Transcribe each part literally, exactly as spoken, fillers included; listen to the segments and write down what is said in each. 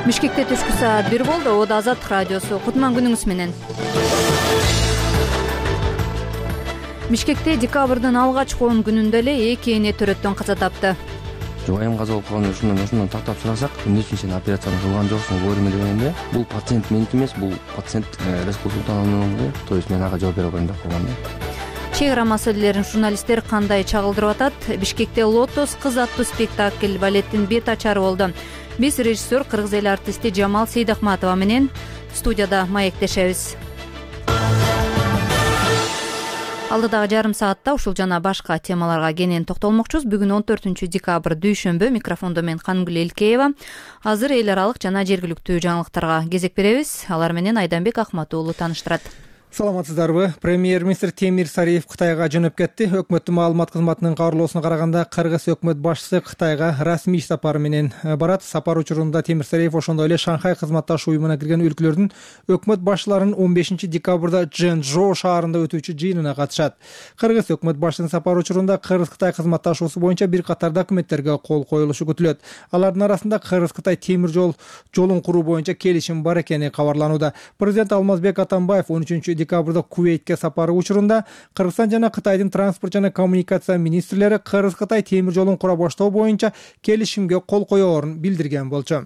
Бишкекте түшкү саат бир болду. Ода Азаттык радиосу. Кутман күнүңүз менен. Бишкекте декабрдын алгачкы он күнүндө эле эки эне төрөттөн каза тапты. Жубайым каза болуп калган ушундан ошондон тактап сурасак, эмне үчүн сен операцияны кылган жоксуң, койдума дегенде, бул пациент меники эмес, бул пациент Рескул Султановнун, то есть мен ага жооп бере койм деп койгон да. Чек ара маселелерин журналисттер кандай чагылдырып атат? Бишкекте Лотос кыз аттуу спектакль балеттин бет ачары болду. Биз режиссер кыргыз эл артисти Жамал Сейдахматова менен студияда маектешебиз. Алдыдагы жарым саатта ушул жана башка темаларга кенен токтолмокчубуз. Бүгүн он төртүнчү декабрь дүйшөмбү. Микрофондо мен Канымгүл Элкеева. Азыр эл аралык жана жергиликтүү жаңылыктарга кезек беребиз. Алар менен Айданбек Акмат уулу тааныштырат. Саламатсыздарбы? Премьер-министр Темир Сариев Кытайга жөнөп кетти. Өкмөттүн маалымат кызматынын кабарлоосуна караганда, Кыргыз өкмөт башчысы Кытайга расмий иш сапары менен барат. Сапар учурунда Темир Сариев ошондой эле Шанхай кызматташ уюмуна кирген өлкөлөрдүн өкмөт башчыларынын он бешинчи декабрда Чжэнчжоу шаарында өтүүчү жыйынына катышат. Кыргыз өкмөт башчысынын сапар учурунда Кыргыз-Кытай кызматташуусу боюнча бир катар документтерге кол коюлушу күтүлөт. Алардын арасында Кыргыз-Кытай темир жол жолун куруу боюнча келишим бар экени кабарланууда. Президент Алмазбек Атамбаев он үчүнчү декабрда Кувейтке сапары учурунда Кыргызстан жана Кытайдын транспорт жана коммуникация министрлери Кыргыз-Кытай темир жолун кура баштоо боюнча келишимге кол коёорун билдирген болчу.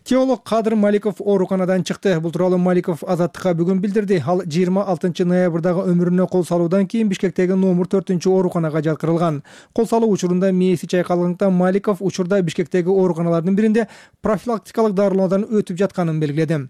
Теолог Кадыр Маликов ооруканадан чыкты. Бул тууралуу Маликов Азаттыкка бүгүн билдирди. Ал жыйырма алтынчы ноябрдагы өмүрүнө кол салуудан кийин Бишкектеги номер төртүнчү ооруканага жаткырылган. Кол салуу учурунда мээси чайкалгандыктан Маликов учурда Бишкектеги ооруканалардын биринде профилактикалык дарылоодан өтүп жатканын белгиледи.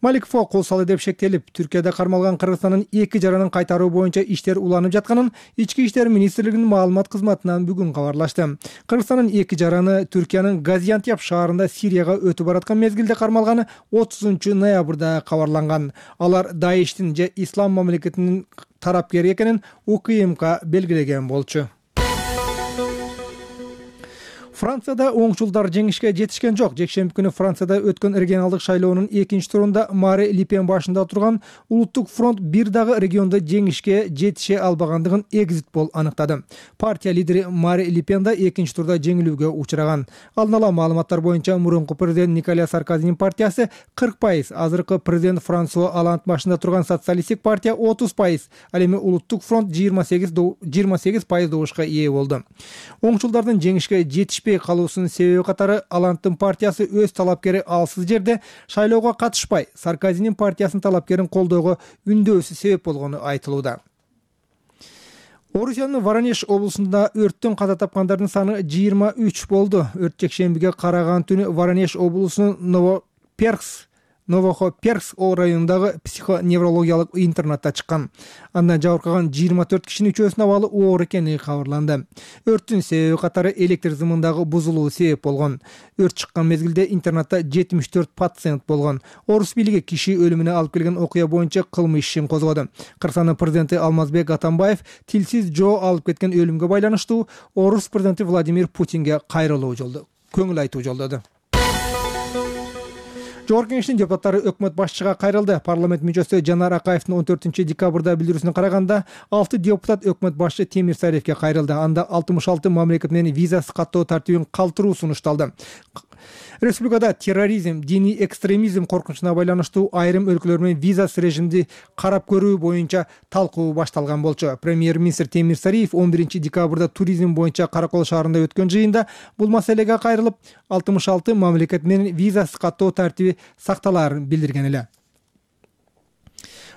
Маликовго кол салуу деп шектелип, Түркияда кармалган Кыргызстандын эки жаранын кайтаруу боюнча иштер уланып жатканын Ички иштер министрлигинин маалымат кызматынан бүгүн кабарлашты. Кыргызстандын эки жараны Түркиянын Газиантеп шаарында Сирияга өтүп бараткан мезгилде кармалганы отузунчу ноябрда кабарланган. Алар Даиштин же Ислам мамлекетинин тарапкери экенин УКМК белгилеген болчу. Францияда оңчулдар жеңишке жетишкен жок. Жекшемби күнү Францияда өткөн регионалдык шайлоонун экинчи турунда Мари Ле Пен башында турган Улуттук фронт бир дагы региондо жеңишке жетише албагандыгын экзит пол аныктады. Партия лидери Мари Ле Пен да экинчи турда жеңилүүгө учураган. Алдын ала маалыматтар боюнча мурунку президент Николя Саркозинин партиясы кырк пайыз, азыркы президент Франсуа Оланд башында турган социалисттик партия отуз пайыз, ал эми Улуттук фронт жыйырма сегиз пайыз добушка ээ болду. Оңчулдардын жеңишке жетиш калуусунун себеби катары Аландтын партиясы өз талапкери алсыз жерде шайлоого катышпай, Саркозинин партиясынын талапкерин колдоого үндөөнү себеп болгону айтылууда. Орусиянын Воронеж облусунда өрттөн каза тапкандардын саны жыйырма үч болду. Өрт жекшембиге караган түнү Воронеж облусунун Новоперкс Новохоперкс районундагы психоневрологиялык интернатта чыккан. Андан жабыркаган жыйырма төрт кишинин үчөөсүнүн абалы оор экени кабарланды. Өрттүн себеби катары электр зымындагы бузулуу себеп болгон. Өрт чыккан мезгилде интернатта жетимиш төрт пациент болгон. Орус бийлиги киши өлүмүнө алып келген окуя боюнча кылмыш ишин козгоду. Кыргызстандын президенти Алмазбек Атамбаев тилсиз жоо алып кеткен өлүмгө байланыштуу Орус президенти Владимир Путинге кайрылуу жолдоду. Көңүл айтуу жолдоду. Жогорку Кеңештин депутаттары өкмөт башчыга кайрылды. Парламент мүчөсү Жанар Акаевдин он төртүнчү декабрда билдирүүсүнө караганда, алты депутат өкмөт башчы Темир Сариевге кайрылды. Анда алтымыш алты мамлекет менен визасыз каттоо тартибин калтыруу сунушталды. Республикада терроризм, диний экстремизм коркунучуна байланыштуу айрым өлкөлөр менен визасыз режимди карап көрүү боюнча талкуу башталган болчу. Премьер-министр Темир Сариев он биринчи декабрда туризм боюнча Каракол шаарында өткөн жыйында бул маселеге кайрылып, алтымыш алты мамлекет менен визасыз каттоо тартиби сакталаарын билдирген эле.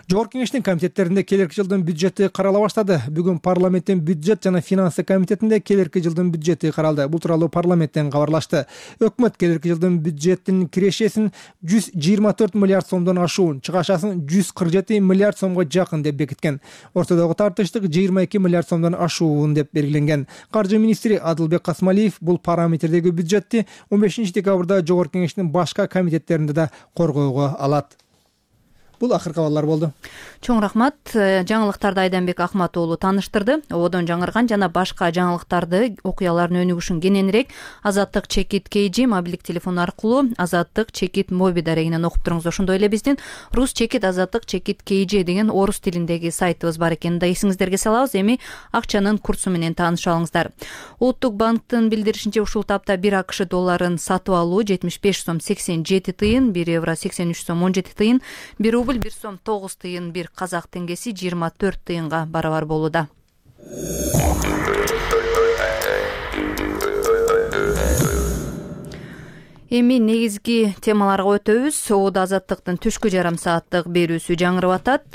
Жогорку Кеңештин комитеттеринде келерки жылдын бюджети карала баштады. Бүгүн парламенттин бюджет жана финансы комитетинде келерки жылдын бюджети каралды. Бул тууралуу парламенттен кабарлашты. Өкмөт келерки жылдын бюджетинин кирешесин жүз жыйырма төрт миллиард сомдон ашуун, чыгашасын жүз кырк жети миллиард сомго жакын деп бекиткен. Ортодогу тартыштык жыйырма эки миллиард сомдон ашуун деп белгиленген. Каржы министри Адылбек Касмалиев бул параметрдеги бюджетти он бешинчи декабрда Жогорку Кеңештин башка комитеттеринде да коргоого алат. Бул акыркы абалдар болду. Чоң рахмат. Жаңылыктарды Айданбек Акмат уулу тааныштырды. Ободон жаңырган жана башка жаңылыктарды, окуялардын өнүгүшүн кененирээк Азаттык чекит кей джи мобилдик телефон аркылуу Азаттык чекит моби дарегинен окуп туруңуз. Ошондой эле биздин рус чекит Азаттык чекит кей джи деген орус тилиндеги сайтыбыз бар экенин да эсиңиздерге салабыз. Эми акчанын курсу менен таанышып алыңыздар. Улуттук банктын билдиришинче ушул тапта бир АКШ долларын сатып алуу жетимиш беш сом сексен жети тыйын, бир евро сексен үч сом он жети тыйын, бир рубль бир сом тогуз тыйын, бир казак теңгеси жыйырма төрт тыйынга барабар болууда. Эми негизги темаларга өтөбүз. Ободо Азаттыктын түшкү жарым сааттык берүүсү жаңырып атат.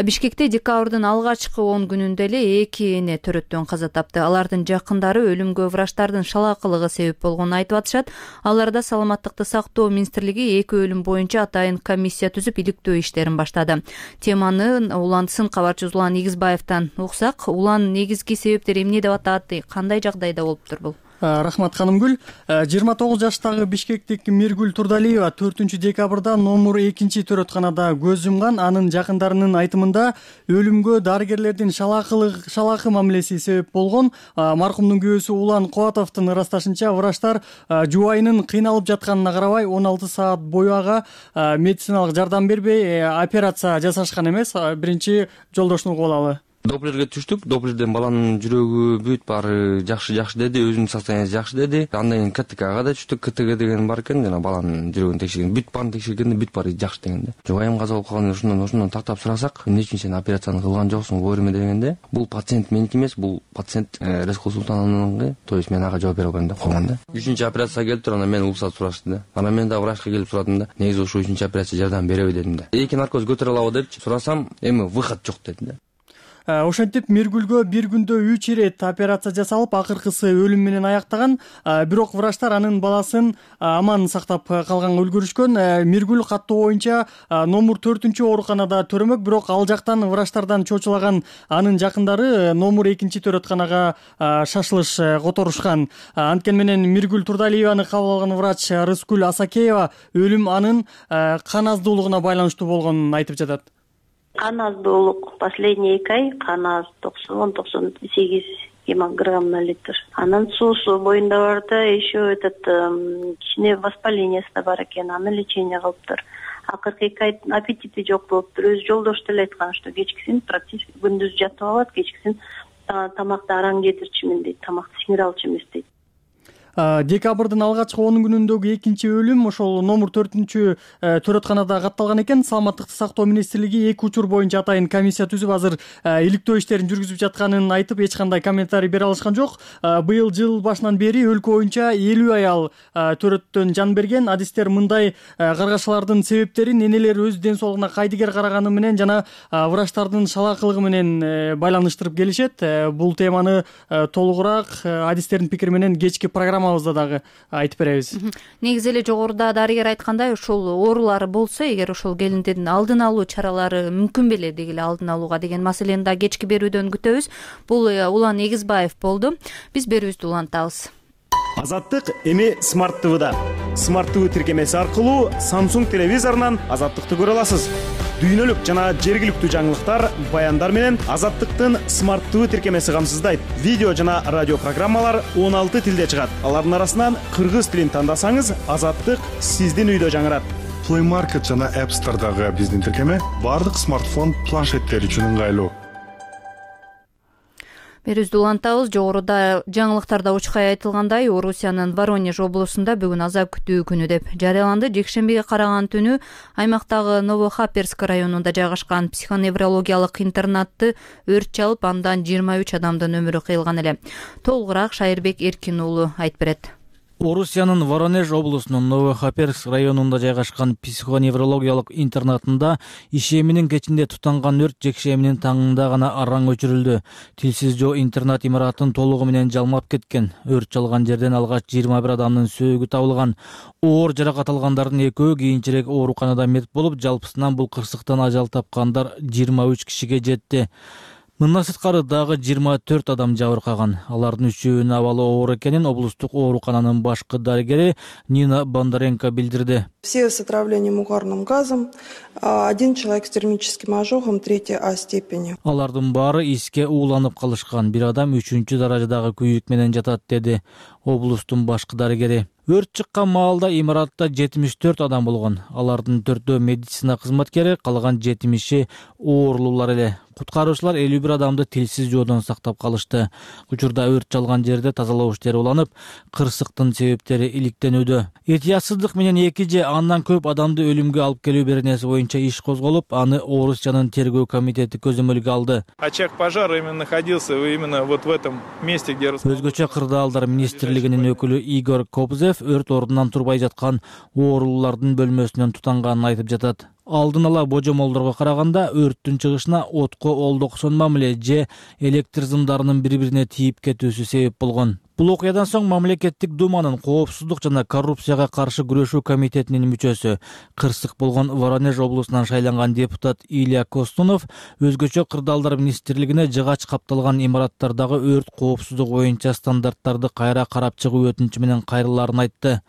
Бишкекте декабрдын алгачкы он күнүндө эле эки эне төрөттөн каза тапты. Алардын жакындары өлүмгө врачтардын шалаакылыгы себеп болгонун айтып атышат. Аларда саламаттыкты сактоо министрлиги эки өлүм боюнча атайын комиссия түзүп иликтөө иштерин баштады. Теманы уландысын кабарчыбыз Улан Эгизбаевден уксак, Улан, негизги себептери эмне деп атат, кандай жагдайда болуптур бул? Рахмат Канымгүл. жыйырма тогуз жаштагы бишкектик Миргүл Турдалиева төртүнчү декабрда номер экинчи төрөтканада көз жумган. Анын жакындарынын айтымында өлүмгө дарыгерлердин шалаакылык шалаакы мамилеси себеп болгон. Маркумдун күйөөсү Улан Кубатовдун ырасташынча, врачтар жубайынын кыйналып жатканына карабай он алты саат бою ага медициналык жардам бербей операция жасашкан эмес. Биринчи жолдошуну угуп алалы. Доплерге түштүк. Доплерден баланын жүрөгү бүт баары жакшы жакшы деди, өзүнүн состояниясы жакшы деди. Андан кийин КТКга да түштүк. КТК деген бар экен, жана баланын жүрөгүн текшерген, бүт баарын текшергенде бүт баары жакшы дегенде. Жубайым каза болуп калган, ошондон ошондон тактап сурасак, эмне үчүн сен операцияны кылган жоксуң, вовремя дегенде, бул пациент меники эмес, бул пациент Рескул Султановнун, то есть мен ага жооп бере албайм деп койгон да. Үчүнчү операцияга келиптир, анан мен уруксат сурашты да. Анан мен да врачка келип сурадым да. Негизи ушул үчүнчү операция жардам береби дедим да. Эки наркоз көтөрө алабы депчи сурасам, эми выход жок деди да. Ошентип Миргүлгө бир күндө үч ирет операция жасалып, акыркысы өлүм менен аяктаган. Бирок врачтар анын баласын аман сактап калганга үлгүрүшкөн. Миргүл каттоо боюнча номер төртүнчү ооруканада төрөмөк, бирок ал жактан врачтардан чочулаган анын жакындары номер экинчи төрөтканага шашылыш которушкан. Анткени менен Миргүл Турдалиеваны кабыл алган врач Рыскүл Асакеева өлүм анын кан аздуулугуна байланыштуу болгонун айтып жатат. Кан аздуулук последний эки ай кан аз токсон токсон сегиз гемограмм на литр. Анан суусу боюнда бар да, еще этот кичине воспалениясы да бар экен, аны лечение кылыптыр. Акыркы эки ай аппетити жок болуптур. Өз жолдошу деле айткан, что кечкисин практически күндүз жатып алат, кечкисин тамакты араң жедирчүмүн дейт, тамакты сиңире алчу эмес дейт. Декабрдын алгачкы он күнүндөгү экинчи өлүм ошол номер төртүнчү төрөтканада катталган экен. Саламаттыкты сактоо министрлиги эки учур боюнча атайын комиссия түзүп азыр иликтөө иштерин жүргүзүп жатканын айтып, эч кандай комментарий бере алышкан жок. Быйыл жыл башынан бери өлкө боюнча элүү аял төрөттөн жан берген. Адистер мындай каргашалардын себептерин энелер өз ден соолугуна кайдыгер караганы менен жана врачтардын шалаакылыгы менен байланыштырып келишет. Бул теманы толугураак адистердин пикири менен кечки программа дагы айтып беребиз. Негизи эле жогоруда дарыгер айткандай, ушул оорулар болсо, эгер ошол келиндердин алдын алуу чаралары мүмкүн беле дегиле алдын алууга деген маселени да кечки берүүдөн күтөбүз. Бул Улан Эгизбаев болду. Биз берүүбүздү улантабыз. Азаттык эми Смарт ТВда. Смарт ТВ тиркемеси аркылуу Samsung телевизорунан Азаттыкты көрө аласыз. Дүйнөлүк жана жергиликтүү жаңылыктар, баяндар менен Азаттыктын Смарт ТВ тиркемеси камсыздайт. Видео жана радио программалар он алты тилде чыгат. Алардын арасынан кыргыз тилин тандасаңыз, Азаттык сиздин үйдө жаңырат. Play Market жана App Store'дагы биздин тиркеме бардык смартфон планшеттер үчүн ыңгайлуу. Берүүбүздү улантабыз. Жогоруда жаңылыктарда учкай айтылгандай, Орусиянын Воронеж облусунда бүгүн азап күтүү күнү деп жарыяланды. Жекшембиге караган түнү аймактагы Новохаперск районунда жайгашкан психоневрологиялык интернатты өрт чалып, андан жыйырма үч адамдын өмүрү кыйылган эле. Толугураак Шайырбек Эркин уулу айтып берет. Орусиянын Воронеж облусунун Новохаперск районунда жайгашкан психоневрологиялык интернатында ишеминин кечинде тутанган өрт жекшеминин таңында гана араң өчүрүлдү. Тилсиз жоо интернат имаратын толугу менен жалмап кеткен. Өрт чалган жерден алгач жыйырма бир адамдын сөөгү табылган. Оор жаракат алгандардын экөө кийинчерээк ооруканада мет болуп, жалпысынан бул кырсыктан ажал тапкандар жыйырма үч кишиге жетти. Мындан сырткары дагы жыйырма төрт адам жабыркаган. Алардын үчөөнүн абалы оор экенин облустук оорукананын башкы дарыгери Нина Бондаренко билдирди. Все с отравлением угарным газом, один человек с термическим ожогом третьей А степени. Алардын баары иске ууланып калышкан. Бир адам үчүнчү даражадагы күйүк менен жатат, деди облустун башкы дарыгери. Өрт чыккан маалда имаратта жетимиш төрт адам болгон. Алардын төртөө медицина кызматкери, калган жетимиши оорлуулар эле. Куткаруучулар элүү бир адамды тилсиз жоодон сактап калышты. Учурда өрт чалган жерде тазалоо иштери уланып, кырсыктын себептери иликтенүүдө. Этиясыздык менен эки же андан көп адамды өлүмгө алып келүү беренеси боюнча иш козголуп, аны Орусиянын тергөө комитети көзөмөлгө алды. Очаг пожара именно находился именно вот в этом месте, где Өзгөчө кырдаалдар министрлигинин өкүлү Игорь Кобзев өрт ордунан турбай жаткан оорлуулардын бөлмөсүнөн тутанганын айтып жатат. Алдын ала божомолдорго караганда өрттүн чыгышына отко олдоксон мамиле же электр зымдарынын бири-бирине тийип кетүүсү себеп болгон. Бул окуядан соң мамлекеттик думанын коопсуздук жана коррупцияга каршы күрөшүү комитетинин мүчөсү, кырсык болгон Воронеж облусунан шайланган депутат Илья Костунов өзгөчө кырдаалдар министрлигине жыгач капталган имараттардагы өрт коопсуздугу боюнча стандарттарды кайра карап чыгуу өтүнүчү менен кайрылаарын айтты.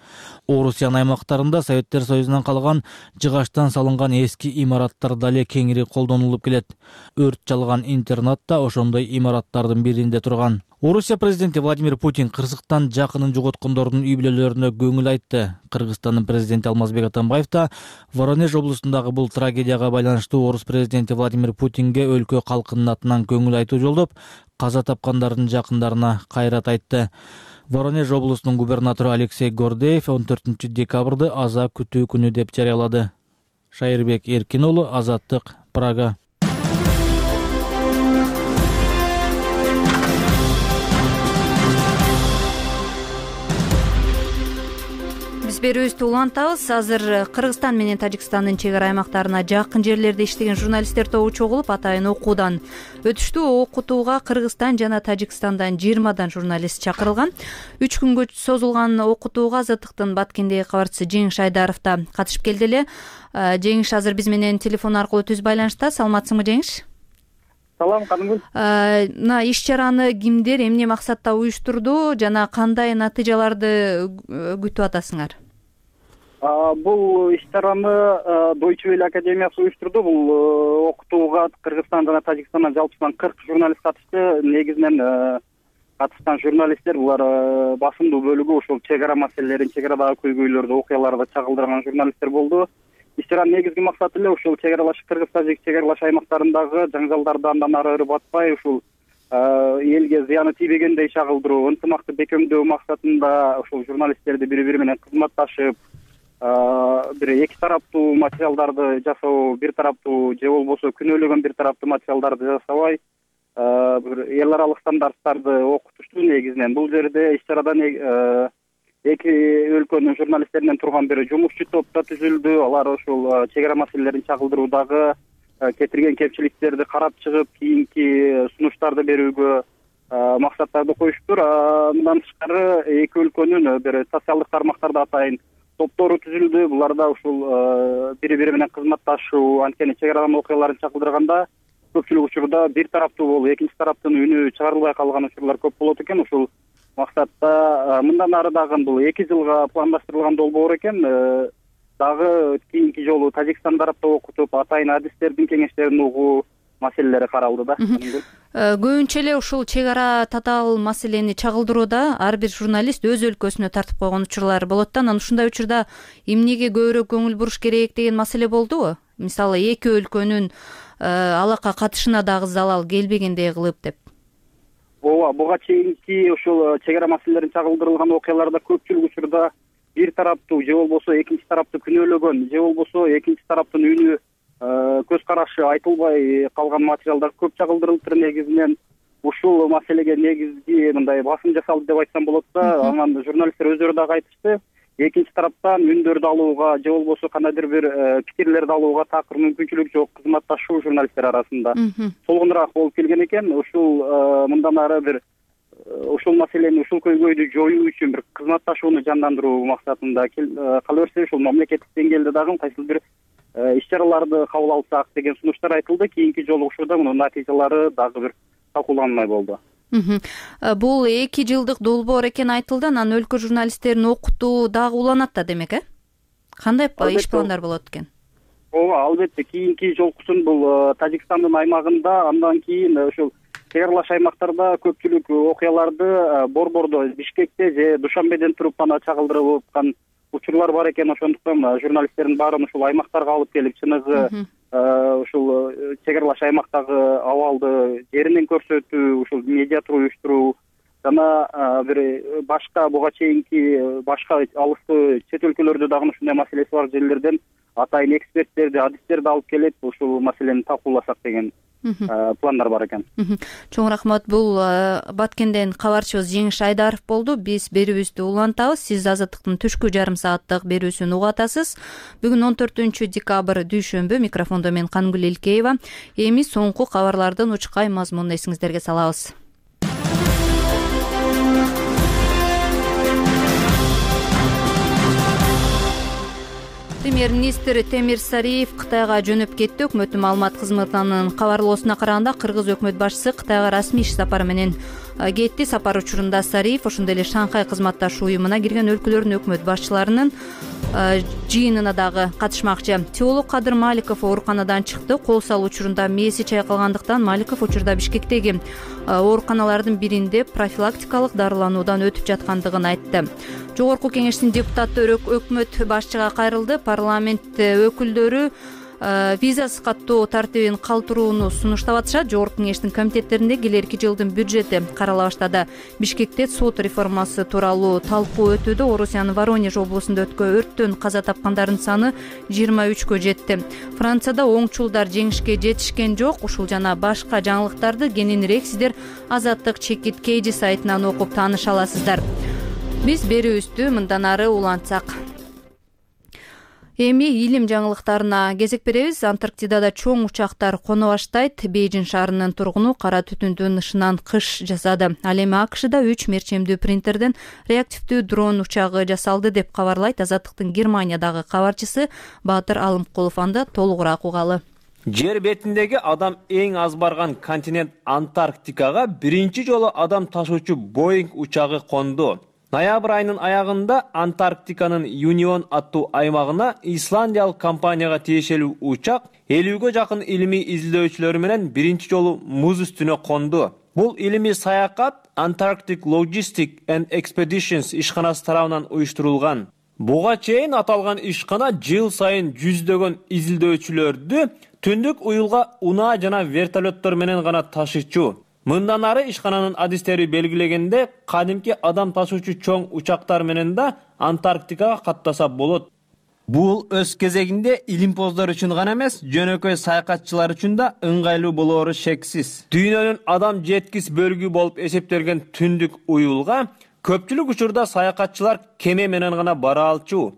Орусиян аймактарында Советтер Союзунан калган жыгачтан салынган эски имараттар дале кеңири колдонулуп келет. Өрт чалган интернат да ошондой имараттардын биринде турган. Орусия президенти Владимир Путин кырсыктан жакынын жоготкондордун үй бүлөлөрүнө көңүл айтты. Кыргызстандын президенти Алмазбек Атамбаев да Воронеж облусундагы бул трагедияга байланыштуу орус президенти Владимир Путинге өлкө калкынын атынан көңүл айтуу жолдоп, каза тапкандардын жакындарына кайрат айтты. Воронеж облусунун губернатору Алексей Гордеев он төртүнчү декабрды аза күтүү күнү деп жарыялады. Шайырбек Эркин уулу, Азаттык, Прага. Биз берүүбүздү улантабыз. Азыр Кыргызстан менен Тажикстандын чек ара аймактарына жакын жерлерде иштеген журналисттер тобу чогулуп, атайын окуудан өтүштү. Окутууга Кыргызстан жана Тажикстандан жыйырмадан журналист чакырылган. Үч күнгө созулган окутууга Азаттыктын Баткендеги кабарчысы Жеңиш Айдаров да катышып келди эле. Жеңиш азыр биз менен телефон аркылуу түз байланышта. Саламатсыңбы, Жеңиш? Салам, Канымгүл. Мына иш чараны кимдер, эмне максатта уюштурду жана кандай натыйжаларды күтүп атасыңар? Бул иш чараны Deutsche Welle академиясы уюштурду. Бул окутууга Кыргызстан жана Тажикстандан жалпысынан кырк журналист катышты. Негизинен катышкан журналисттер булар басымдуу бөлүгү ошол чек ара маселелерин, чек арадагы көйгөйлөрдү, окуяларды чагылдырган журналисттер болду. Иш чаранын негизги максаты эле ушул чек аралаш Кыргыз-Тажик чек аралаш аймактарындагы жаңжалдарды андан ары ырбатпай, ушул элге зыяны тийбегендей чагылдыруу, ынтымакты бекемдөө максатында ушул журналисттерди бири-бири менен кызматташып, бир эки тараптуу материалдарды жасоо, бир тараптуу же болбосо күнөөлөгөн бир тараптуу материалдарды жасабай, бир эл аралык стандарттарды окутушту негизинен. Бул жерде иш чарада эки өлкөнүн журналисттеринен турган бир жумушчу топ да түзүлдү. Алар ушул чек ара маселелерин чагылдыруудагы кетирген кемчиликтерди карап чыгып, кийинки сунуштарды берүүгө максаттарды коюшуптур. Мындан тышкары эки өлкөнүн бир социалдык тармактарда атайын топтору түзүлдү. Буларда ушул бири-бири менен кызматташуу, анткени чек арадан окуяларын чагылдырганда көпчүлүк учурда бир тараптуу болуп, экинчи тараптын үнү чыгарылбай калган учурлар көп болот экен. Ушул максатта мындан ары дагы бул эки жылга пландаштырылган долбоор экен. Дагы кийинки жолу Тажикстан тарапта окутуп, атайын адистердин кеңештерин угуу маселелери каралды да. Көбүнчө эле ушул чек ара татаал маселени чагылдырууда ар бир журналист өз өлкөсүнө тартып койгон учурлар болот да. Анан ушундай учурда эмнеге көбүрөөк көңүл буруш керек деген маселе болдубу? Мисалы эки өлкөнүн алакка катышына дагы залал келбегендей кылып деп. Ооба, буга чейинки ушул чек ара маселелерин чагылдырылган окуяларда көпчүлүк учурда бир тараптуу же болбосо экинчи тарапты күнөөлөгөн, же болбосо экинчи тараптын үнү, көз карашы айтылбай калган материалдар көп чагылдырылыптыр. Негизинен ушул маселеге негизги мындай басым жасалды деп айтсам болот да. Анан журналисттер өздөрү дагы айтышты, экинчи тараптан үндөрдү алууга же болбосо кандайдыр бир пикирлерди алууга такыр мүмкүнчүлүк жок, кызматташуу журналисттер арасында солгунураак болуп келген экен. Ушул мындан ары бир ушул маселени, ушул көйгөйдү жоюу үчүн бир кызматташууну жандандыруу максатында кала берсе ушул мамлекеттик деңгээлде дагы кайсыл бир иш чараларды кабыл алсак деген сунуштар айтылды. Кийинки жолу учурда мунун натыйжалары дагы бир талкууланмай болду. Бул эки жылдык долбоор экени айтылды, анан өлкө журналисттерин окутуу дагы уланат да демек, э? Кандай иш пландар болот экен? Ооба, албетте кийинки жолкусун бул Тажикстандын аймагында, андан кийин ушул чегарлаш аймактарда көпчүлүк окуяларды Борбордо, Бишкекте же Душанбеден туруп гана чагылдырып аткан учурлар бар экен. Ошондуктан журналисттердин баарын ушул аймактарга алып келип, чыныгы ушул чегарлаш аймактагы абалды жеринен көрсөтүү, ушул медиа тур уюштуруу жана бир башка буга чейинки башка алыстуу чет өлкөлөрдө дагы ушундай маселеси бар жерлерден атайын эксперттерди, адистерди алып келип, ушул маселени талкууласак деген пландар бар экен. Чоң рахмат. Бул Баткенден кабарчыбыз Жеңиш Айдаров болду. Биз берүүбүздү улантабыз. Сиз Азаттыктын түшкү жарым сааттык берүүсүн угатасыз. Бүгүн он төртүнчү декабрь дүйшөмбү, микрофондо мен Кангүл Элкеева. Эми соңку кабарлардын учкай мазмунун эсиңиздерге салабыз. Премьер-министр Темир Сариев Кытайга жөнөп кетти. Өкмөттүн маалымат кызматынын кабарлоосуна караганда, кыргыз өкмөт башчысы Кытайга расмий иш сапары менен кетти. Сапар учурунда Сариев ошондой эле Шанхай кызматташ уюмуна кирген өлкөлөрдүн өкмөт башчыларынын жыйынына дагы катышмакчы. Теолог Кадыр Маликов ооруканадан чыкты. Кол салуу учурунда мээси чайкалгандыктан Маликов учурда Бишкектеги ооруканалардын биринде профилактикалык дарылануудан өтүп жаткандыгын айтты. Жогорку кеңештин депутаттары өкмөт башчыга кайрылды. Парламент өкүлдөрү визасыз каттоо тартибин калтырууну сунуштап атышат. Жогорку кеңештин комитеттеринде келерки жылдын бюджети карала баштады. Бишкекте сот реформасы тууралуу талкуу өтүүдө. Орусиянын Воронеж облусунда өткөн өрттөн каза тапкандардын саны жыйырма үчкө жетти. Францияда оңчулдар жеңишке жетишкен жок. Ушул жана башка жаңылыктарды кененирээк сиздер Азаттык чекит кейжи сайтынан окуп тааныша аласыздар. Биз берүүбүздү мындан ары улантсак. Эми илим жаңылыктарына кезек беребиз. Антарктидада чоң учактар коно баштайт. Бейжин шаарынын тургуну кара түтүндүн ышынан кыш жасады. Ал эми АКШда үч мерчемдүү принтерден реактивдүү дрон учагы жасалды деп кабарлайт Азаттыктын Германиядагы кабарчысы Баатыр Алымкулов. Анда толугураак угалы. Жер бетиндеги адам эң аз барган континент Антарктикага биринчи жолу адам ташуучу Боинг учагы конду. Ноябрь айынын аягында Антарктиканын Юнион аттуу аймагына исландиялык компанияга тиешелүү учак элүүгө жакын илимий изилдөөчүлөр менен биринчи жолу муз үстүнө конду. Бул илимий саякат Antarctic Logistic and Expeditions ишканасы тарабынан уюштурулган. Буга чейин аталган ишкана жыл сайын жүздөгөн изилдөөчүлөрдү түндүк уюлга унаа жана вертолеттор менен гана ташыйчу. Мындан ары ишкананын адистери белгилегенде, кадимки адам ташуучу чоң учактар менен да Антарктикага каттаса болот. Бул өз кезегинде илимпоздор үчүн гана эмес, жөнөкөй саякатчылар үчүн да ыңгайлуу болоору шексиз. Дүйнөнүн адам жеткис бөлүгү болуп эсептелген түндүк уюлга көпчүлүк учурда саякатчылар кеме менен гана бара алчу.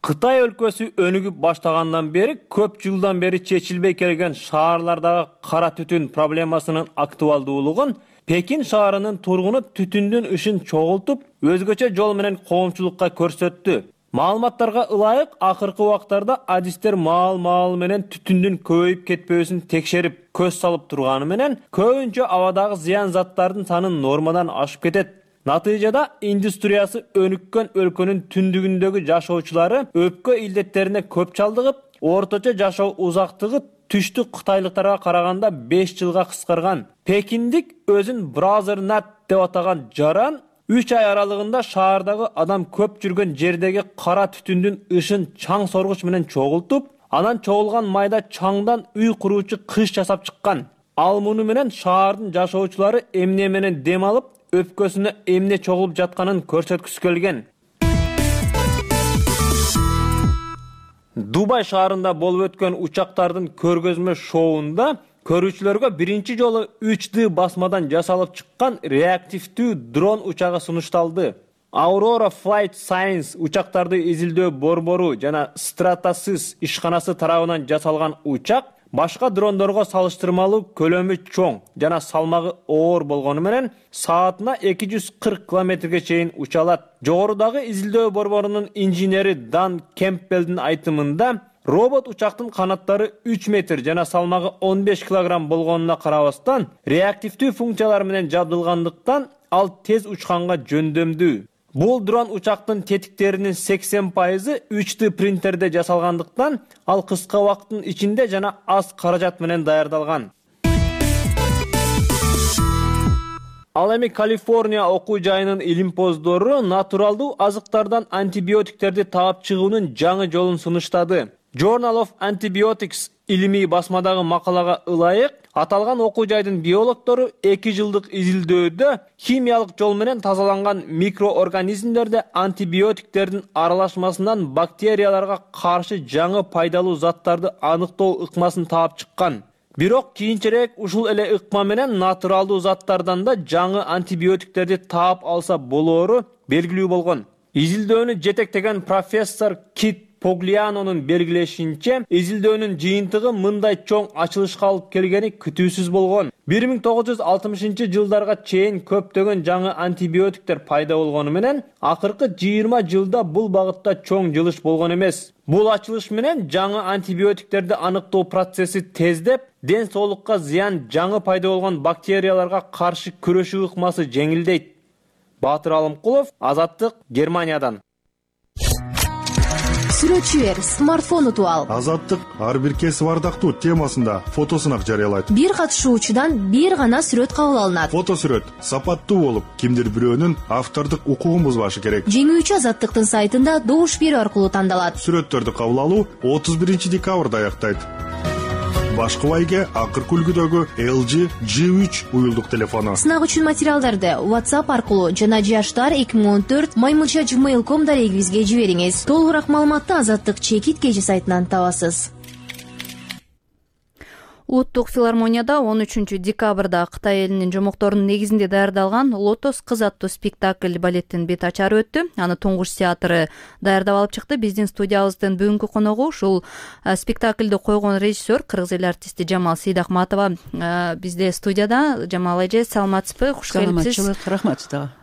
Кытай өлкөсү өнүгүп баштагандан бери көп жылдан бери чечилбей келген шаарлардагы кара түтүн проблемасынын актуалдуулугун Пекин шаарынын тургуну түтүндүн ышын чогултуп, өзгөчө жол менен коомчулукка көрсөттү. Маалыматтарга ылайык, акыркы убактарда адистер маал-маал менен түтүндүн көбөйүп кетпөөсүн текшерип, көз салып турганы менен көбүнчө абадагы зыян заттардын саны нормадан ашып кетет. Натыйжада индустриясы өнүккөн өлкөнүн түндүгүндөгү жашоочулары өпкө илдеттерине көп чалдыгып, орточо жашоо узактыгы түштүк кытайлыктарга караганда беш жылга кыскарган. Пекиндик өзүн Brother Nat деп атаган жаран үч ай аралыгында шаардагы адам көп жүргөн жердеги кара түтүндүн ышын чаң соргуч менен чогултуп, анан чогулган майда чаңдан үй куруучу кыш жасап чыккан. Ал муну менен шаардын жашоочулары эмне менен дем алып, өпкөсүнө эмне чогулуп жатканын көрсөткүсү келген. Дубай шаарында болуп өткөн учактардын көргөзмө шоуунда көрүүчүлөргө биринчи жолу үч дэ басмадан жасалып чыккан реактивдүү дрон учагы сунушталды. Aurora Flight Science учактарды изилдөө борбору жана Stratasys ишканасы тарабынан жасалган учак башка дрондорго салыштырмалуу көлөмү чоң жана салмагы оор болгону менен саатына эки жүз кырк километрге чейин уча алат. Жогорудагы изилдөө борборунун инженери Дан Кемпбелдин айтымында робот учактын канаттары үч метр жана салмагы он беш килограмм болгонуна карабастан реактивдүү функциялар менен жабдылгандыктан ал тез учканга жөндөмдүү. Бул дрон учактын тетиктеринин сексен пайызы үч дэ принтерде жасалгандыктан ал кыска убакыттын ичинде жана аз каражат менен даярдалган. Ал эми Калифорния окуу жайынын илимпоздору натуралдуу азыктардан антибиотиктерди таап чыгуунун жаңы жолун сунуштады. Journal of Antibiotics илимий басмадагы макалага ылайык, аталган окуу жайдын биологдору эки жылдык изилдөөдө химиялык жол менен тазаланган микроорганизмдерде антибиотиктердин аралашмасынан бактерияларга каршы жаңы пайдалуу заттарды аныктоо ыкмасын таап чыккан. Бирок кийинчерээк ушул эле ыкма менен натуралдуу заттардан да жаңы антибиотиктерди таап алса болоору белгилүү болгон. Изилдөөнү жетектеген профессор Кит Поглианонун белгилешинче, изилдөөнүн жыйынтыгы мындай чоң ачылышка алып келгени күтүүсүз болгон. бир миң тогуз жүз алтымышынчы жылдарга чейин көптөгөн жаңы антибиотиктер пайда болгону менен, акыркы жыйырма жылда бул багытта чоң жылыш болгон эмес. Бул ачылыш менен жаңы антибиотиктерди аныктоо процесси тездеп, ден соолукка зыян жаңы пайда болгон бактерияларга каршы күрөшүү ыкмасы жеңилдейт. Батыр Алымкулов, Азаттык, Германиядан. Сүрөтчү эр смартфон утуп ал. Азаттык ар бир кесип ардактуу темасында фотосунак жарыялайт. Бир катышуучудан бир гана сүрөт кабыл алынат. Фотосүрөт сапаттуу болуп, кимдир бирөөнүн автордук укугун бузбашы керек. Жеңүүчү Азаттыктын сайтында добуш берүү аркылуу тандалат. Сүрөттөрдү кабыл алуу отуз биринчи декабрда аяктайт. Башкы байге акыркы үлгүдөгү эл жи джи үч уюлдук телефону. Сынак үчүн материалдарды WhatsApp аркылуу жана жаштар эки миң он төрт маймылча gmail точка ком дарегибизге жибериңиз. Толугураак маалыматты Азаттык чекит кежи сайтынан табасыз. Улуттук филармонияда он үчүнчү декабрда Кытай элинин жомокторунун негизинде даярдалган Лотос кыз аттуу спектакль балеттин бет ачары өттү. Аны Туңгуш театры даярдап алып чыкты. Биздин студиябыздын бүгүнкү коногу ушул спектакльди койгон режиссер, кыргыз эл артисти Жамал Сейдахматова бизде студияда. Жамал эже, саламатсызбы? Куш келипсиз. Саламатчылык, рахмат сага.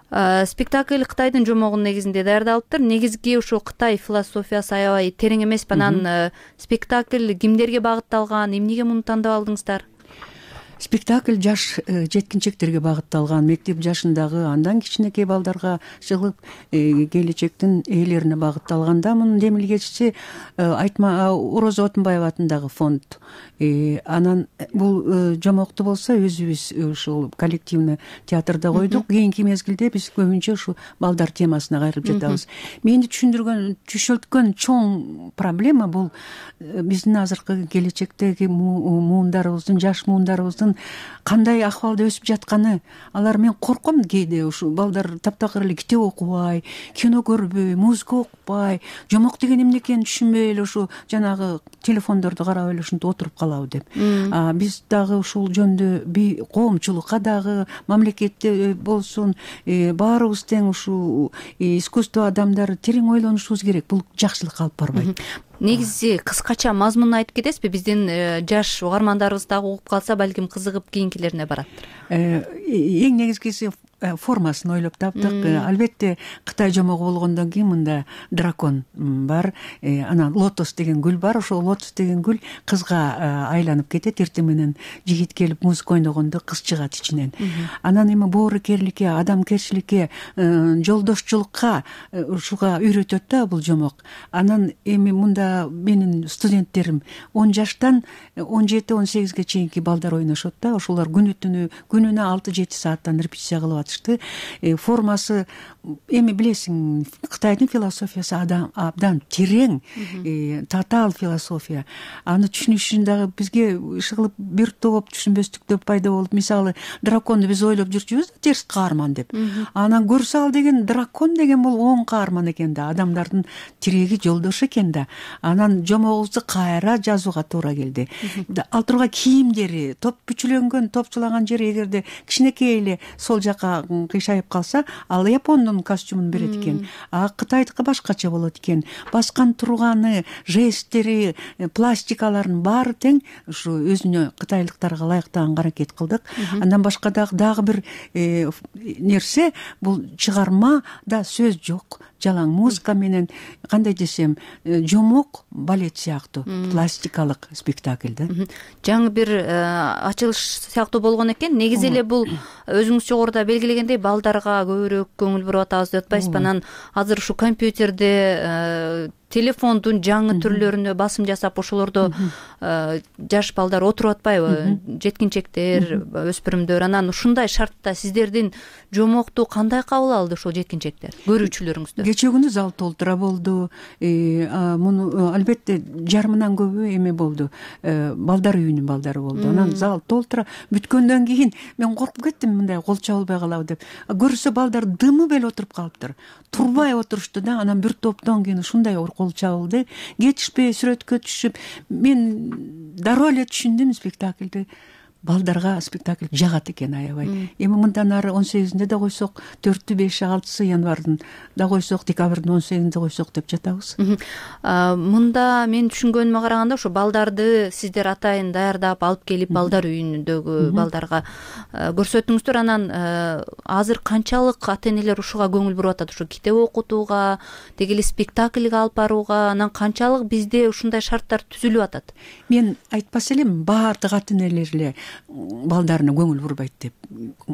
Спектакль Кытайдын жомогунун негизинде даярдалыптыр. Негизги ушул Кытай философиясы аябай терең эмеспи. Анан спектакль кимдерге багытталган, эмнеге муну тандап алдыңыздар? Спектакль жаш жеткинчектерге багытталган, мектеп жашындагы, андан кичинекей балдарга чыгып келечектин ээлерине багытталган. Мунун демилгечиси Айтма Орозо Отунбаева атындагы фонд. Анан бул жомокту болсо өзүбүз ушул коллективный театрда койдук. Кийинки мезгилде биз көбүнчө ушу балдар темасына кайрылып жатабыз. Мени түшүндүргөн, түшөлткөн чоң проблема бул биздин азыркы келечектеги муундарыбыздын, жаш муундарыбыздын кандай акыбалда өсүп жатканы. Алар мен корком кээде ушу балдар таптакыр эле китеп окубай, кино көрбөй, музыка укпай, жомок деген эмне экенин түшүнбөй эле ушу жанагы телефондорду карап эле ушинтип отуруп калабы деп. Биз дагы ушул жөндө коомчулукка дагы, мамлекетте болсун, баарыбыз тең ушу искусство адамдары терең ойлонушубуз керек. Бул жакшылыкка алып барбайт. Негизи кыскача мазмунун айтып кетесизби? Биздин жаш угармандарыбыз дагы угуп калса, балким кызыгып кийинкилерине бараттыр. Эң негизгиси формасын ойлоп таптык. Албетте Кытай жомогу болгондон кийин мында дракон бар, анан лотос деген гүл бар. Ошол лотос деген гүл кызга айланып кетет. Эртең менен жигит келип музыка ойногондо кыз чыгат ичинен. Анан эми боорукерликке, адамгерчиликке, жолдошчулукка ушуга үйрөтөт да бул жомок. Анан эми мында менин студенттерим он жаштан он жети он сегизге чейинки балдар ойношот да. Ошолор күнү түнү күнүнө алты жети сааттан репетиция кылып атышты. Формасы эми билесиң, Кытайдын философиясы абдан терең, татаал философия. Аны түшүнүш үчүн дагы бизге иши бир топ түшүнбөстүктөр пайда болуп, мисалы драконду биз ойлоп жүрчүбүз да, терс каарман деп. Анан көрсө ал деген дракон деген бул оң каарман экен да, адамдардын тиреги, жолдошу экен да. Анан жомогубузду кайра жазууга туура келди. Ал тургай кийимдери, топ бүчүлөнгөн, топчулаган жери эгерде кичинекей эле сол жака кыйшайып калса, ал япондун костюмун берет экен, а кытайдыкы башкача болот экен. Баскан турганы, жесттери, пластикалардын баары тең ушу өзүнө кытайлыктарга ылайыктаганга аракет кылдык. Андан башка дагы дагы бир нерсе, бул чыгармада сөз жок, жалаң музыка менен, кандай десем, жомок балет сыяктуу пластикалык спектакль да. Жаңы бир ачылыш сыяктуу болгон экен. Негизи эле бул өзүңүз жогоруда белгилегендей балдарга көбүрөөк көңүл буруп атабыз деп атпайсызбы? Анан азыр ушу компьютерде, телефондун жаңы түрлөрүнө басым жасап ошолордо жаш балдар отуруп атпайбы? Жеткинчектер, өспүрүмдөр. Анан ушундай шартта сиздердин жомокту кандай кабыл алды ошол жеткинчектер, көрүүчүлөрүңүздөр? Кечээ күнү зал толтура болду. Муну албетте жарымынан көбү эме болду, балдар үйүнүн балдары болду. Анан зал толтура бүткөндөн кийин мен коркуп кеттим, мындай кол чабылбай калабы деп. Көрсө балдар дымы бел отуруп калыптыр. Турбай отурушту да, анан бир топтон кийин ушундай кол чабылды. Кетишпей сүрөткө түшүп, мен дароо эле түшүндүм спектакльди. Балдарга спектакль жагат экен аябай. Эми мындан ары он сегизинде да койсок, төртү, беши, алтысы январдын да койсок, декабрдын он сегизинде койсок деп жатабыз. Мында мен түшүнгөнүмө караганда ушу балдарды сиздер атайын даярдап алып келип балдар үйүндөгү балдарга көрсөттүңүздөр. Анан азыр канчалык ата-энелер ушуга көңүл буруп атат? Ушу китеп окутууга, деги эле спектакльге алып барууга, анан канчалык бизде ушундай шарттар түзүлүп атат? Мен айтпас элем баардык ата-энелер эле балдарына көңүл бурбайт деп.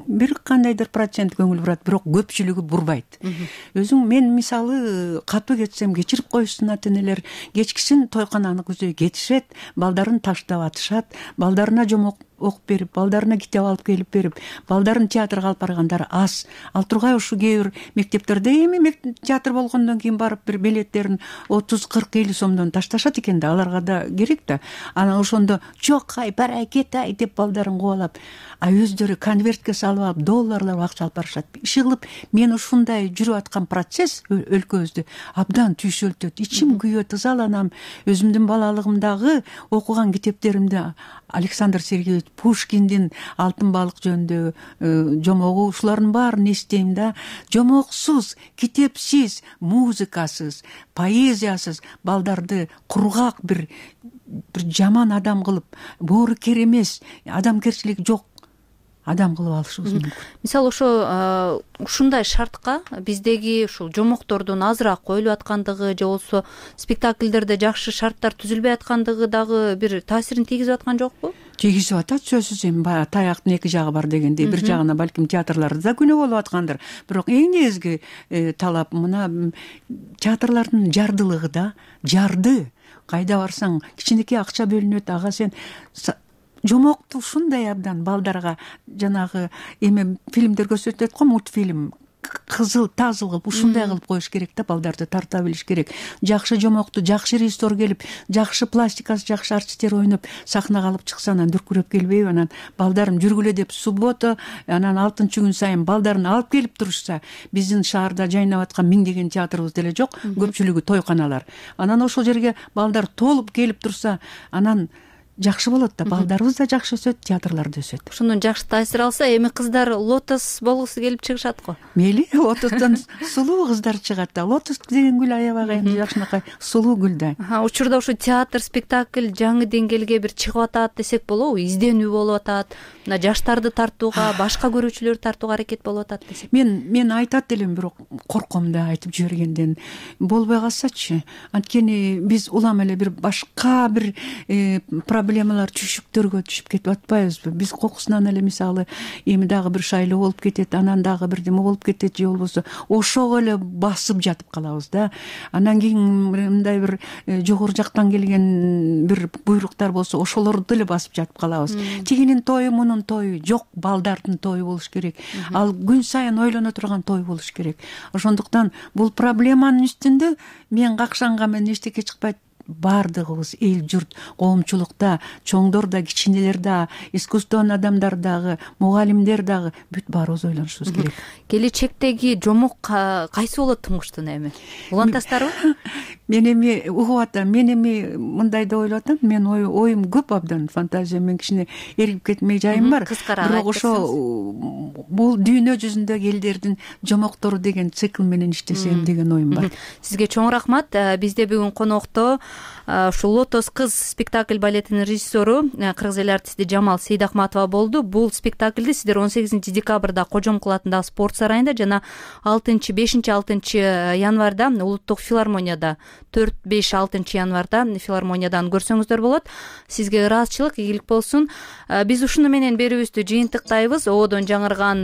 Бир кандайдыр процент көңүл бурат, бирок көпчүлүгү бурбайт. Өзүң мен мисалы катуу кетсем кечирип коюшсун ата-энелер, кечкисин тойкананы күзөй кетишет, балдарын таштап атышат, балдарына жомок окуп берип, балдарына китеп алып келип берип, балдарын театрга алып баргандары аз. Ал тургай ушу кээ бир мектептерде эми театр болгондон кийин барып бир билеттерин отуз кырк элүү сомдон ташташат экен да, аларга да керек да. Анан ошондо жок ай, барай, кет ай деп балдарын кубалап, а өздөрү конвертке салып алып, долларлап акча алып барышат. Иши кылып, мен ушундай жүрүп аткан процесс өлкөбүздө абдан түйшөлтөт. Ичим күйөт, ызаланам. Өзүмдүн балалыгымдагы окуган китептеримде Александр Сергеевич Пушкиндин Алтын балык жөнүндө жомогу, ушулардын баарын эстейм да. Жомоксуз, китепсиз, музыкасыз, поэзиясыз балдарды кургак бир бир жаман адам кылып, боорукер эмес, адамгерчилиги жок адам кылып алышыбыз мүмкүн. Мисалы ошо ушундай шартка биздеги ушул жомоктордун азыраак коюлуп аткандыгы же болбосо спектакльдерде жакшы шарттар түзүлбөй аткандыгы дагы бир таасирин тийгизип аткан жокпу? Тийгизип атат, сөзсүз. Эми баягы таяктын эки жагы бар дегендей, бир жагына балким театрларда да күнөө болуп аткандыр. Бирок эң негизги талап мына театрлардын жардылыгы да, жарды. Кайда барсаң кичинекей акча бөлүнөт, ага сен жомокту ушундай абдан балдарга жанагы эме фильмдер көрсөтөт го, мультфильм, кызыл тазыл кылып ушундай кылып коюш керек да, балдарды тарта билиш керек. Жакшы жомокту жакшы режиссер келип, жакшы пластикасы жакшы артисттер ойноп сахнага алып чыкса, анан дүркүрөп келбейби? Анан балдарым жүргүлө деп суббота, анан алтынчы күн сайын балдарын алып келип турушса, биздин шаарда жайнап аткан миңдеген театрыбыз деле жок, көпчүлүгү тойканалар. Анан ошол жерге балдар толуп келип турса, анан жакшы болот да, балдарыбыз да жакшы өсөт, театрлар да өсөт. Ошондон жакшы таасир алса, эми кыздар лотос болгусу келип чыгышат го. Мейли, лотостон сулуу кыздар чыгат да. Лотос деген гүл аябай эми жакшынакай сулуу гүл да. Учурда ушу театр, спектакль жаңы деңгээлге бир чыгып атат десек болобу? Изденүү болуп атат. Мына жаштарды тартууга, башка көрүүчүлөрдү тартууга аракет болуп атат десек. Мен мен айтат элем, бирок корком да айтып жибергенден. Болбой калсачы. Анткени биз улам эле бир башка бир проблемалар, түшүктөргө түшүп кетип атпайбызбы? Биз кокусунан эле мисалы эми дагы бир шайлоо болуп кетет, анан дагы бирдеме болуп кетет же болбосо ошого эле басып жатып калабыз да. Анан кийин мындай бир жогору жактан келген бир буйруктар болсо ошолорду эле басып жатып калабыз. Тигинин тою, мунун тою жок, балдардын тою болуш керек. Ал күн сайын ойлоно турган той болуш керек. Ошондуктан бул проблеманын үстүндө мен какшанган менен эчтеке чыкпайт баардыгыбыз эл журт коомчулукта чоңдор да кичинелер да искусствонун адамдар дагы мугалимдер дагы бүт баарыбыз ойлонушубуз керек. Келечектеги жомок кайсы болот туңгучтун эми улантасыздарбы? Мен эми угуп атам, мен эми мындай деп ойлоп атам, мен оюм көп абдан, фантазиям мен кичине эрип кетмей жайым бар. Бирок ошо бул дүйнө жүзүндөгү элдердин жомоктору деген цикл менен иштесем деген оюм бар. Сизге чоң рахмат. Бизде бүгүн конокто ушул Лотос кыз спектакль балетинин режиссеру кыргыз эл артисти Жамал Сейдахматова болду. Бул спектакльди сиздер он сегизинчи декабрда Кожомкул атындагы спорт сарайында жана алтынчы бешинчи алтынчы январда улуттук филармонияда, төрт беш алтынчы январда филармониядан көрсөңүздөр болот. Сизге ыраазычылык, ийгилик болсун. Биз ушуну менен берүүбүздү жыйынтыктайбыз. Ободон жаңырган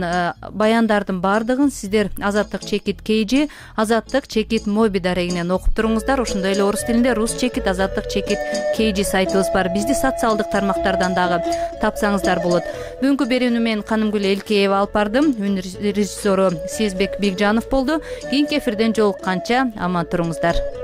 баяндардын баардыгын сиздер Азаттык чекит Кейжи, Азаттык чекит Моби дарегинен окуп туруңуздар. Ошондой эле орус тилинде Рус чекит, Азаттык чекит Кейжи сайтыбыз бар. Бизди социалдык тармактардан дагы тапсаңыздар болот. Бүгүнкү берүүнү мен Канымгүл Элкеева алып бардым. Үн режиссеру Сезбек Бекжанов болду. Кийинки эфирден жолукканча аман туруңуздар.